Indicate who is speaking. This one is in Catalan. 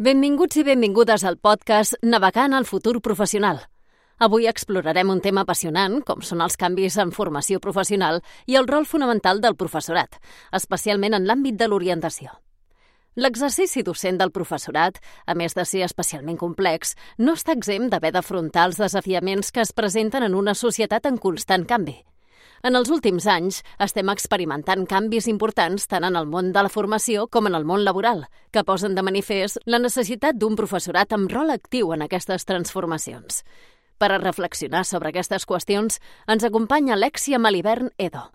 Speaker 1: Benvinguts i benvingudes al podcast Navegant al futur professional. Avui explorarem un tema apassionant, com són els canvis en formació professional i el rol fonamental del professorat, especialment en l'àmbit de l'orientació. L'exercici docent del professorat, a més de ser especialment complex, no està exempt d'haver d'afrontar els desafiaments que es presenten en una societat en constant canvi. En els últims anys estem experimentant canvis importants tant en el món de la formació com en el món laboral, que posen de manifest la necessitat d'un professorat amb rol actiu en aquestes transformacions. Per a reflexionar sobre aquestes qüestions, ens acompanya Alexia Malibern Edo.